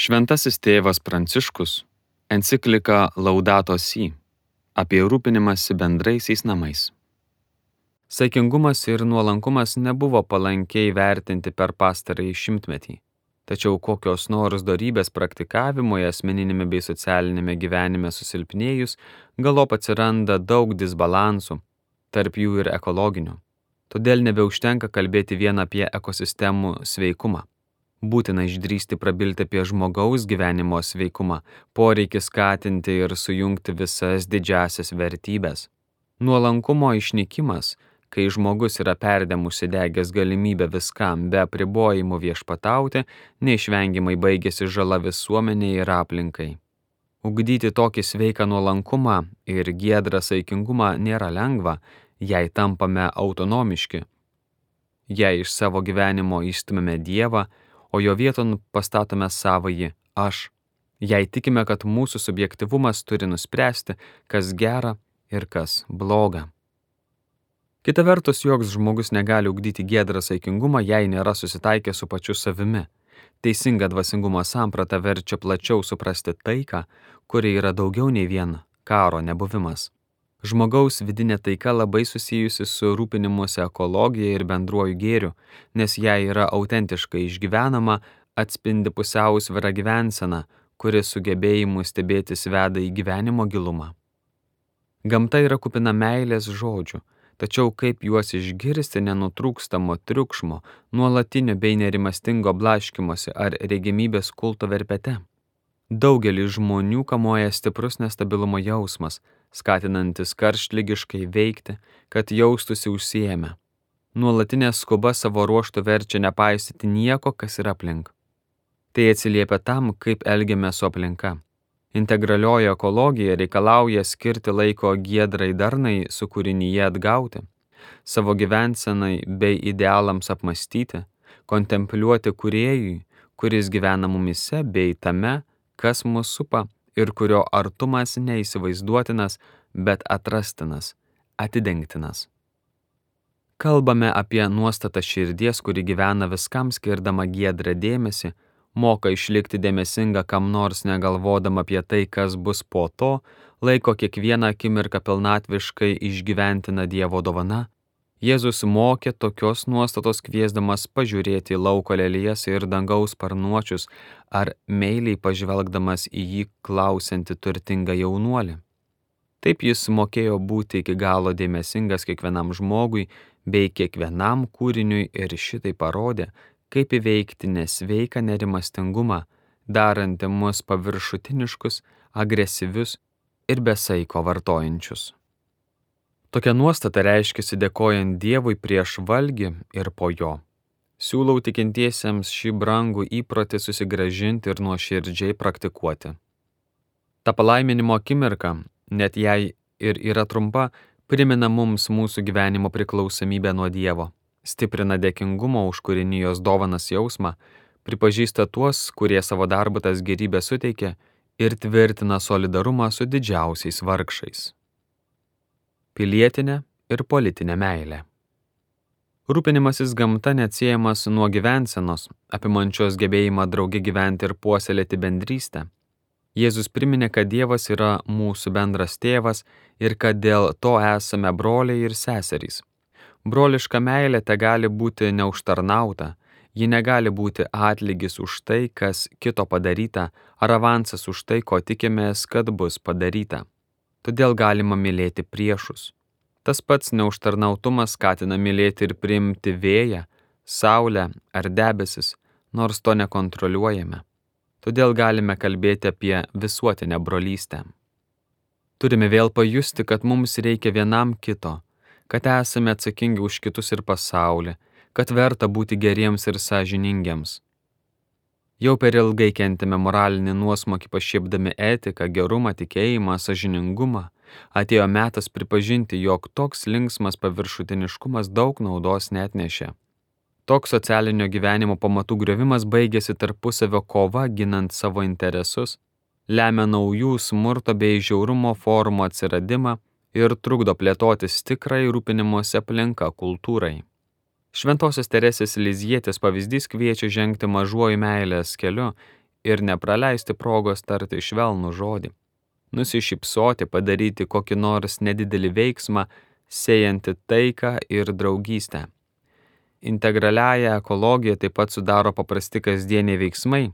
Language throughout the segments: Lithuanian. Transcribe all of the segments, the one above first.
Šventasis tėvas Pranciškus enciklika Laudato Si apie rūpinimąsi bendraisiais namais. Saikingumas ir nuolankumas nebuvo palankiai vertinti per pastarąjį šimtmetį, tačiau kokios nors dorybės praktikavimoje asmeninėme bei socialinėme gyvenime susilpnėjus, galop atsiranda daug disbalansų, tarp jų ir ekologinių. Todėl nebeužtenka kalbėti vien apie ekosistemų sveikumą. Būtina išdrįsti prabilti apie žmogaus gyvenimo sveikumą, poreikį skatinti ir sujungti visas didžiasias vertybės. Nuolankumo išnykimas, kai žmogus yra perdėm užsidegęs galimybę viskam be apribojimų viešpatauti, neišvengiamai baigėsi žala visuomeniai ir aplinkai. Ugdyti tokį sveiką nuolankumą ir giedrą saikingumą nėra lengva, jei tampame autonomiški. Jei iš savo gyvenimo išstumiame Dievą, o jo vieton pastatome savąjį aš, jei tikime, kad mūsų subjektyvumas turi nuspręsti, kas gera ir kas bloga. Kita vertus, joks žmogus negali ugdyti giedrą saikingumą, jei nėra susitaikę su pačiu savimi. Teisinga dvasingumo samprata verčia plačiau suprasti taiką, kuri yra daugiau nei vien karo nebuvimas. Žmogaus vidinė taika labai susijusi su rūpinimuose ekologija ir bendruoju gėriu, nes jei yra autentiškai išgyvenama, atspindi pusiausvyrą gyvenseną, kuri sugebėjimu stebėtis veda į gyvenimo gilumą. Gamta yra kupina meilės žodžių, tačiau kaip juos išgirsti nenutrūkstamo triukšmo, nuolatinio bei nerimastingo blaškymosi ar regimybės kulto verpete? Daugelį žmonių kamuoja stiprus nestabilumo jausmas, skatinantis karštligiškai veikti, kad jaustųsi užsiėmę. Nuolatinė skuba savo ruožtu verčia nepaisyti nieko, kas yra aplink. Tai atsiliepia tam, kaip elgiame su aplinka. Integralioji ekologija reikalauja skirti laiko giedrai darnai su kūrinyje atgauti, savo gyvensenai bei idealams apmastyti, kontempliuoti kūrėjui, kuris gyvena mumise bei tame, kas mus supa ir kurio artumas neįsivaizduotinas, bet atrastinas, atidengtinas. Kalbame apie nuostatą širdies, kuri gyvena viskam skirdama giedrą dėmesį, moka išlikti dėmesinga kam nors negalvodama apie tai, kas bus po to, laiko kiekvieną akimirką pilnatviškai išgyventina Dievo dovana. Jėzus mokė tokios nuostatos kviesdamas pažiūrėti į lauko lelijas ir dangaus sparnuočius ar meiliai pažvelgdamas į jį klausiantį turtingą jaunuolį. Taip jis mokėjo būti iki galo dėmesingas kiekvienam žmogui bei kiekvienam kūriniui ir šitai parodė, kaip įveikti nesveiką nerimastingumą, darantį mus paviršutiniškus, agresyvius ir besaiko vartojančius. Tokia nuostata reiškiasi dėkojant Dievui prieš valgį ir po jo. Siūlau tikintiesiems šį brangų įprotį susigrąžinti ir nuoširdžiai praktikuoti. Ta palaiminimo akimirka, net jei ir yra trumpa, primena mums mūsų gyvenimo priklausomybę nuo Dievo, stiprina dėkingumo už kūrinijos dovanas jausmą, pripažįsta tuos, kurie savo darbu tas gėrybės suteikia ir tvirtina solidarumą su didžiausiais vargšais. Pilietinė ir politinė meilė. Rūpinimasis gamta neatsiejamas nuo gyvensenos, apimančios gebėjimą drauge gyventi ir puoselėti bendrystę. Jėzus priminė, kad Dievas yra mūsų bendras tėvas ir kad dėl to esame broliai ir seserys. Broliška meilė tegali būti neužtarnauta, ji negali būti atlygis už tai, kas kito padaryta, ar avansas už tai, ko tikimės, kad bus padaryta. Todėl galima mylėti priešus. Tas pats neužtarnautumas skatina mylėti ir priimti vėją, saulę ar debesis, nors to nekontroliuojame. Todėl galime kalbėti apie visuotinę brolystę. Turime vėl pajusti, kad mums reikia vienam kito, kad esame atsakingi už kitus ir pasaulį, kad verta būti geriems ir sąžiningiems. Jau per ilgai kentėme moralinį nuosmukį pašiepdami etiką, gerumą, tikėjimą, sąžiningumą. Atėjo metas pripažinti, jog toks linksmas paviršutiniškumas daug naudos neatnešė. Toks socialinio gyvenimo pamatų griovimas baigėsi tarpusavio kova ginant savo interesus, lemia naujų smurto bei žiaurumo formų atsiradimą ir trukdo plėtotis tikrai rūpinimuose aplinka kultūrai. Šventosios Teresės Lizietės pavyzdys kviečia žengti mažuoju meilės keliu ir nepraleisti progos tarti švelnų žodį, nusišypsoti, padaryti kokį nors nedidelį veiksmą, sėjantį taiką ir draugystę. Integraliąją ekologiją taip pat sudaro paprasti kasdieniai veiksmai,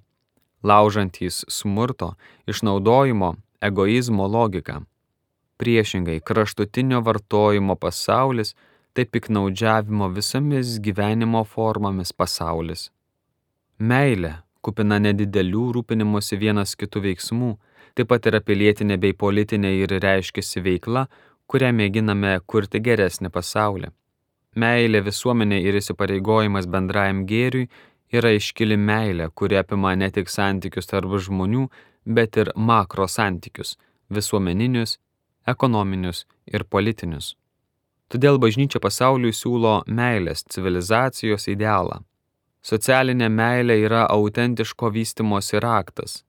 laužantys smurto, išnaudojimo, egoizmo logiką. Priešingai, kraštutinio vartojimo pasaulis tai piktnaudžiavimo visomis gyvenimo formomis pasaulis. Meilė, kupina nedidelių rūpinimosi vienas kitų veiksmų, taip pat yra pilietinė bei politinė ir reiškiasi veikla, kurią mėginame kurti geresnį pasaulį. Meilė visuomenė ir įsipareigojimas bendrajam gėriui yra iškili meilė, kuri apima ne tik santykius tarp žmonių, bet ir makro santykius, visuomeninius, ekonominius ir politinius. Todėl bažnyčia pasauliui siūlo meilės civilizacijos idealą. Socialinė meilė yra autentiško vystymosi raktas.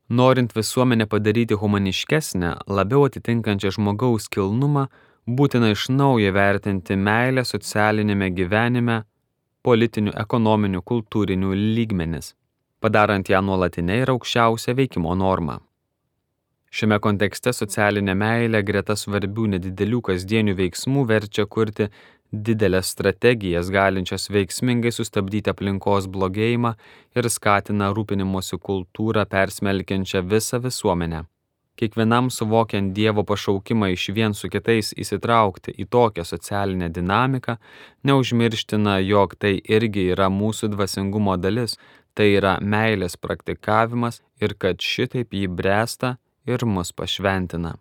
Norint visuomenę padaryti humaniškesnę, labiau atitinkančią žmogaus kilnumą, būtina iš naujo vertinti meilę socialinėme gyvenime, politinių, ekonominių, kultūrinių lygmenis, padarant ją nuolatinę ir aukščiausią veikimo normą. Šiame kontekste socialinė meilė greta svarbių nedidelių kasdienių veiksmų verčia kurti didelės strategijas, galinčias veiksmingai sustabdyti aplinkos blogėjimą ir skatina rūpinimosi kultūrą persmelkiančią visą visuomenę. Kiekvienam suvokiant Dievo pašaukimą išvien su kitais įsitraukti į tokią socialinę dinamiką, neužmirština, jog tai irgi yra mūsų dvasingumo dalis, tai yra meilės praktikavimas ir kad šitaip jį bręsta ir mus pašventina.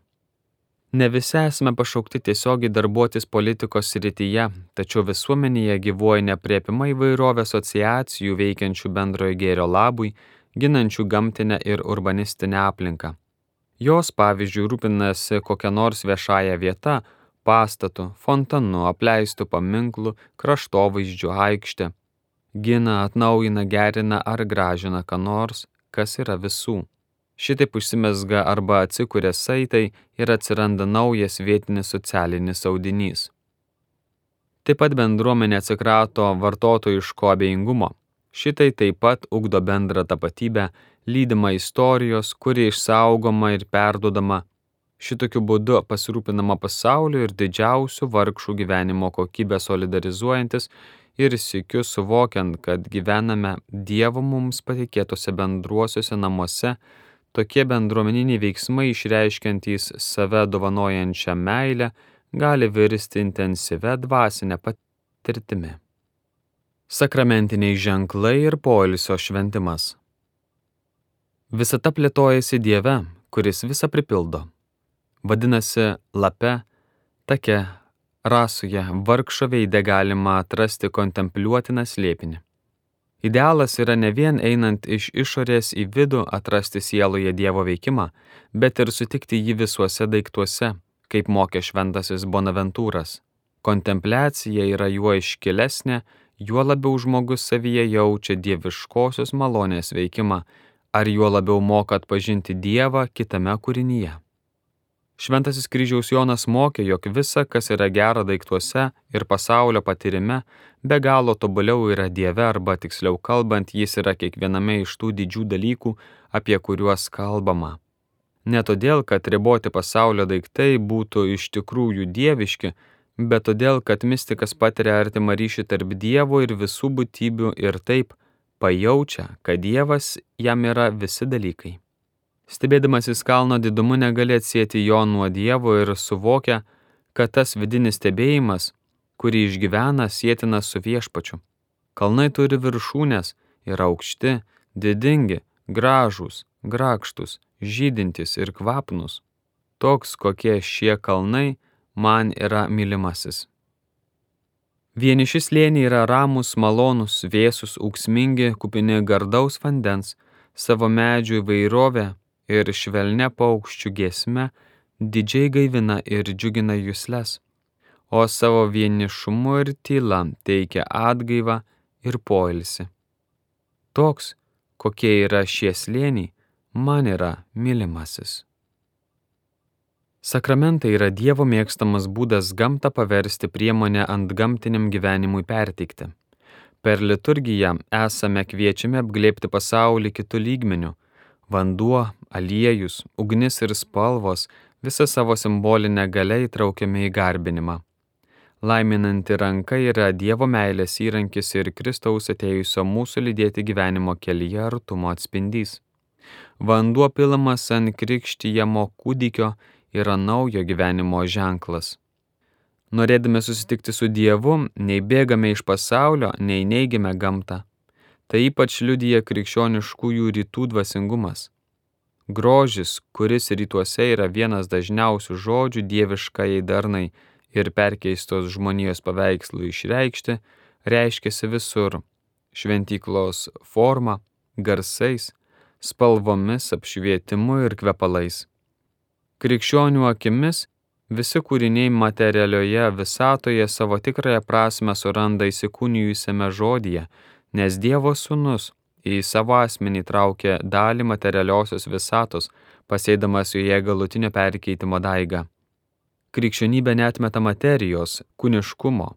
Ne visi esame pašaukti tiesiogiai darbuotis politikos srityje, tačiau visuomenėje gyvuoja neaprėpima įvairovė asociacijų veikiančių bendrojo gėrio labui, ginančių gamtinę ir urbanistinę aplinką. Jos, pavyzdžiui, rūpinasi kokia nors viešąja vieta, pastatu, fontanu, apleistų paminklų, kraštovaizdžių aikštė, gina, atnaujina, gerina ar gražina ką nors, kas yra visų. Šitaip užsimezga arba atsikuria saitai ir atsiranda naujas vietinis socialinis audinys. Taip pat bendruomenė atsikrato vartotojiško abejingumo. Šitai taip pat ugdo bendrą tapatybę, lydima istorijos, kuri išsaugoma ir perduodama. Šitokiu būdu pasirūpinama pasauliu ir didžiausių vargšų gyvenimo kokybę solidarizuojantis ir sykiu suvokiant, kad gyvename Dievo mums patikėtose bendruosiuose namuose. Tokie bendruomeniniai veiksmai išreiškiantys save dovanojančią meilę gali virsti intensyvia dvasinė patirtimi. Sakramentiniai ženklai ir poilsio šventimas. Visata plėtojasi Dieve, kuris visą pripildo. Vadinasi, lape, take, rasoje, vargšo veide galima atrasti kontempliuotiną slėpinį. Idealas yra ne vien einant iš išorės į vidų atrasti sieloje Dievo veikimą, bet ir sutikti jį visuose daiktuose, kaip mokė šventasis Bonaventūras. Kontempliacija yra juo iškilesnė, juo labiau žmogus savyje jaučia dieviškosios malonės veikimą, ar juo labiau moka atpažinti Dievą kitame kūrinyje. Šventasis kryžiaus Jonas mokė, jog visa, kas yra gera daiktuose ir pasaulio patyrime, be galo tobuliau yra Dieve, arba tiksliau kalbant, jis yra kiekviename iš tų didžių dalykų, apie kuriuos kalbama. Ne todėl, kad riboti pasaulio daiktai būtų iš tikrųjų dieviški, bet todėl, kad mistikas patiria artimą ryšį tarp Dievo ir visų būtybių ir taip pajaučia, kad Dievas jam yra visi dalykai. Stebėdamasis kalno didumu negali atsieti jo nuo Dievo ir suvokia, kad tas vidinis stebėjimas, kurį išgyvena, sietinas su viešpačiu. Kalnai turi viršūnės, yra aukšti, didingi, gražūs, grakštus, žydintys ir kvapnus. Toks, kokie šie kalnai, man yra mylimasis. Vieniši slėniai yra ramūs, malonūs, vėsūs, ūksmingi, kupini gardaus vandens, savo medžių įvairovę ir švelnia paukščių giesme didžiai gaivina ir džiugina jusles, o savo vienišumu ir tyla teikia atgaivą ir poilsį. Toks, kokie yra šie slėniai, man yra mylimasis. Sakramentai yra Dievo mėgstamas būdas gamtą paversti priemonę antgamtiniam gyvenimui perteikti. Per liturgiją esame kviečiami apglėbti pasaulį kitų lygmenių. Vanduo, aliejus, ugnis ir spalvos visą savo simbolinę galę įtraukiame į garbinimą. Laiminanti ranka yra Dievo meilės įrankis ir Kristaus atėjusio mūsų lydėti gyvenimo kelyje artumo atspindys. Vanduo pilamas ant krikštijamo kūdikio yra naujo gyvenimo ženklas. Norėdami susitikti su Dievu, nei bėgame iš pasaulio, nei neigiame gamtą. Tai ypač liudija krikščioniškųjų rytų dvasingumas. Grožis, kuris rytuose yra vienas dažniausių žodžių dieviškajai darnai ir perkeistos žmonijos paveikslų išreikšti, reiškiasi visur – šventyklos forma, garsais, spalvomis, apšvietimu ir kvepalais. Krikščionių akimis visi kūriniai materialioje visatoje savo tikrąją prasmę suranda įsikūnijusiame žodyje, nes Dievo Sūnus į savo asmenį traukė dalį materialiosios visatos, pasėdamas joje galutinio perkeitimo daigą. Krikščionybė neatmeta materijos, kūniškumo.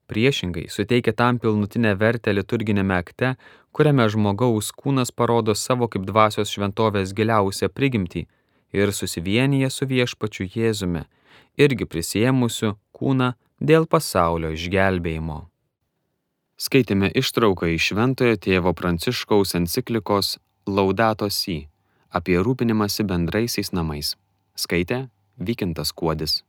Priešingai, suteikia tam pilnutinę vertę liturginėme akte, kuriame žmogaus kūnas parodo savo kaip dvasios šventovės giliausią prigimtį ir susivienyje su viešpačiu Jėzumi, irgi prisiėmusiu kūną dėl pasaulio išgelbėjimo. Skaitėme ištrauką iš Šventojo tėvo Pranciškaus enciklikos Laudato Si apie rūpinimąsi bendraisiais namais. Skaitė Vykintas Kuodis.